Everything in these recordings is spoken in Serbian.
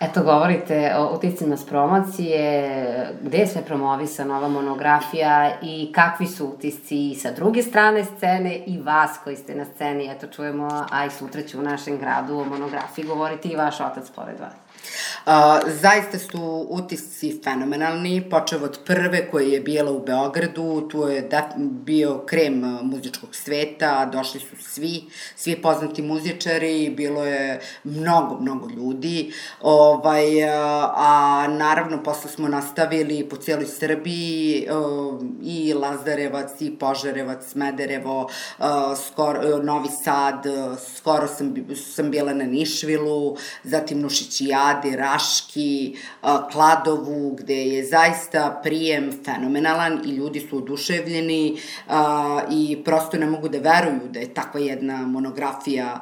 Eto, govorite o uticima s promocije, gde je sve promovisana ova monografija i kakvi su utisci i sa druge strane scene i vas koji ste na sceni, eto čujemo, a i sutra će u našem gradu o monografiji govoriti i vaš otac pored vas. Zaista su utisci fenomenalni, počeo od prve koja je bila u Beogradu, tu je bio krem muzičkog sveta, došli su svi poznati muzičari, bilo je mnogo ljudi, a naravno posle smo nastavili po cijeloj Srbiji, i Lazarevac, i Požarevac, Smederevo, Novi Sad, skoro sam bila na Nišvilu, zatim Nušićijadi, Raški, Kladovu, gde je zaista prijem fenomenalan i ljudi su oduševljeni i prosto ne mogu da veruju da je takva jedna monografija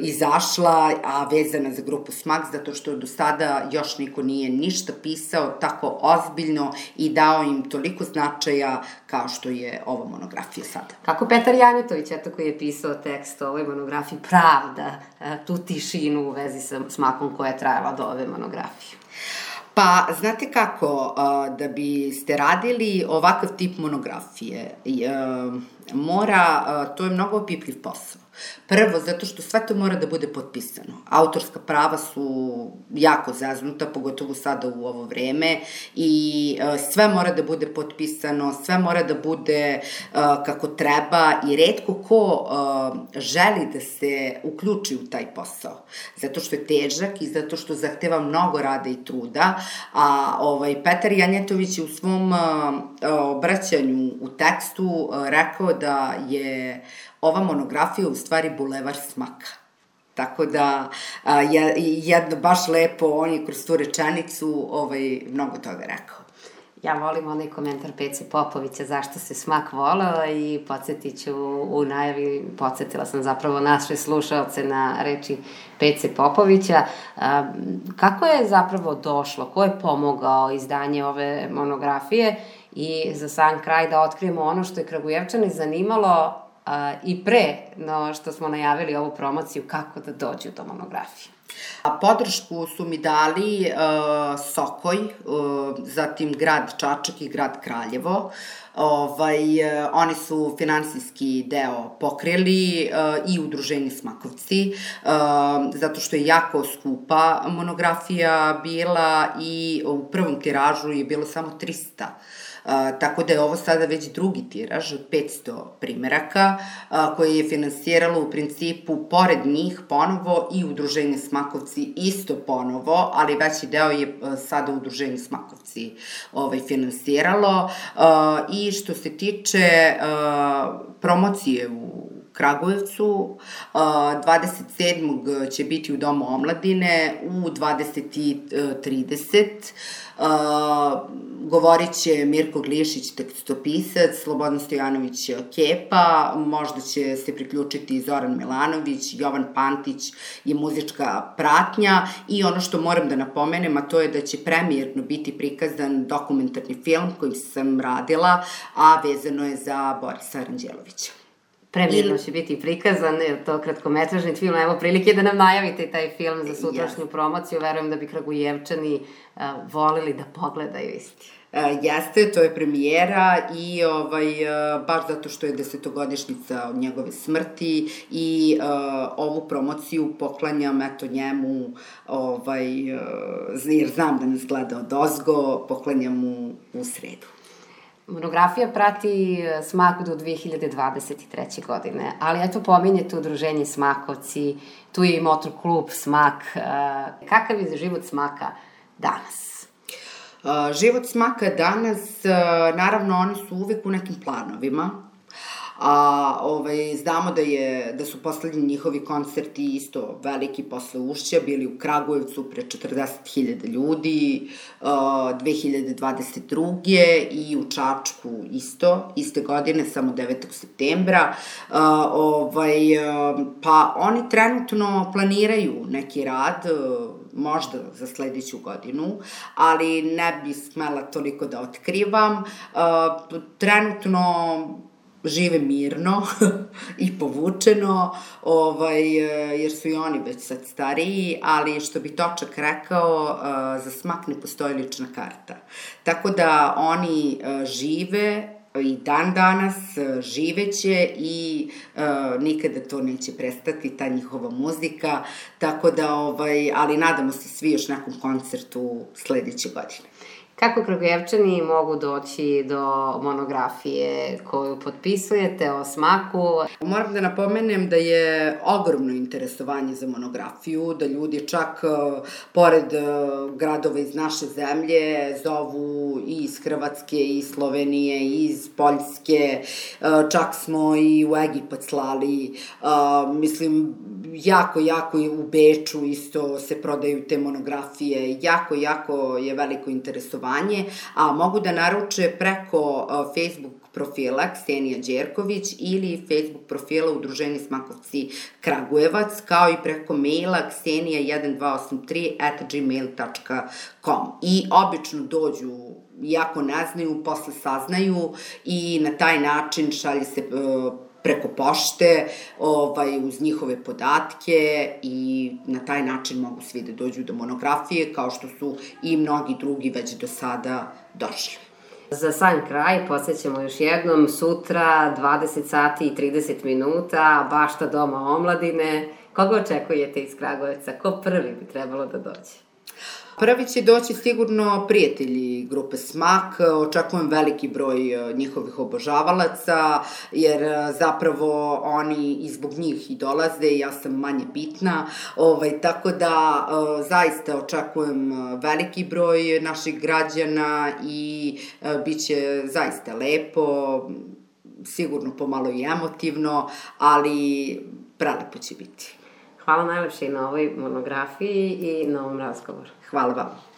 izašla, a vezana za grupu Smak, zato što do sada još niko nije ništa pisao tako ozbiljno i dao im toliko značaja kao što je ova monografija sada. Kako Petar Janjetović, eto koji je pisao tekst o ovoj monografiji, pravda tu tišinu u vezi sa Smakom koja je trajala do ove monografije? Pa, znate kako, da biste radili ovakav tip monografije, to je mnogo opipljiv posao. Prvo, zato što sve to mora da bude potpisano. Autorska prava su jako zaznuta, pogotovo sada u ovo vreme, i sve mora da bude potpisano, sve mora da bude kako treba i retko ko želi da se uključi u taj posao. Zato što je težak i zato što zahteva mnogo rada i truda, a Petar Janjetović je u svom obraćanju u tekstu rekao da je ova monografija u stvari bulevar Smaka. Tako da, jedno baš lepo, on je kroz tu rečenicu mnogo toga rekao. Ja volim onaj komentar Pece Popovića zašto se Smak voleo i podsjetit ću u najavi, podsjetila sam zapravo naše slušaoce na reči Pece Popovića. Kako je zapravo došlo, ko je pomogao izdanje ove monografije i za sam kraj da otkrijemo ono što je Kragujevčane zanimalo i pre no što smo najavili ovu promociju, kako da dođu do monografije. Podršku su mi dali Sokoj, zatim grad Čačak i grad Kraljevo. Oni su finansijski deo pokrili i udruženje Smakovci, zato što je jako skupa monografija bila i u prvom tiražu je bilo samo 300. Tako da je ovo sada već drugi tiraž od 500 primeraka koje je finansiralo u principu pored njih ponovo i udruženje Smakovci isto ponovo, ali veći deo je sada udruženje Smakovci finansiralo. I što se tiče promocije u Kragujevcu, 27. će biti u Domu omladine u 20:30. Govorit će Mirko Glišić, tekstopisac, Slobodan Stojanović Kepa, možda će se priključiti Zoran Milanović, Jovan Pantić je muzička pratnja i ono što moram da napomenem, a to je da će premijerno biti prikazan dokumentarni film koji sam radila, a vezano je za Borisa Aranđelovića. Premijerno će biti prikazan, je to kratkometražni film, evo prilike da nam najavite taj film za sutrašnju promociju, verujem da bi Kragujevčani volili da pogledaju isti. Jeste, to je premijera i baš zato što je 10-godišnjica od njegove smrti i ovu promociju poklanjam njemu, jer znam da nas gleda odozgo, poklanjam mu u sredu. Monografija prati Smak do 2023. godine, ali eto pominjete udruženje Smakovci, tu je i motor klub Smak. Kakav je život Smaka danas? Život Smaka danas, naravno oni su uvek u nekim planovima, znamo da su poslednji njihovi koncerti isto veliki posle Ušća, bili u Kragujevcu pre 40.000 ljudi, 2022. i u Čačku isto, iste godine, samo 9. septembra. Pa oni trenutno planiraju neki rad, možda za sledeću godinu, ali ne bi smela toliko da otkrivam. Trenutno žive mirno i povučeno, jer su i oni već sad stariji, ali što bi Točak rekao, za smak ne postoji lična karta. Tako da oni žive i dan danas živeće i nikada to neće prestati, ta njihova muzika, tako da, ali nadamo se svi još nekom koncertu sledeće godine. Kako Kragujevčani mogu doći do monografije koju potpisujete o smaku? Moram da napomenem da je ogromno interesovanje za monografiju, da ljudi čak pored gradova iz naše zemlje zovu i iz Hrvatske, i iz Slovenije, i iz Poljske, čak smo i u Egipat slali, mislim, jako u Beču isto se prodaju te monografije, jako je veliko interesovanje, a mogu da naruče preko Facebook profila Ksenija Đerković ili Facebook profila Udruženje Smakovci Kragujevac, kao i preko maila ksenija1283@gmail.com. I obično dođu, iako ne znaju, posle saznaju i na taj način šalje se preko pošte, uz njihove podatke i na taj način mogu svi da dođu do monografije, kao što su i mnogi drugi već do sada došli. Za sam kraj, podsjećamo još jednom, sutra 20 sati i 30 minuta, Bašta Doma omladine. Koga očekujete iz Kragujevca? Ko prvi bi trebalo da dođe? Prvi će doći sigurno prijatelji grupe Smak, očekujem veliki broj njihovih obožavalaca, jer zapravo oni i zbog njih i dolaze, ja sam manje bitna, tako da zaista očekujem veliki broj naših građana i bit će zaista lepo, sigurno pomalo i emotivno, ali prelepo će biti. Hvala najlepše i na ovoj monografiji i na ovom razgovoru. Hvala vam.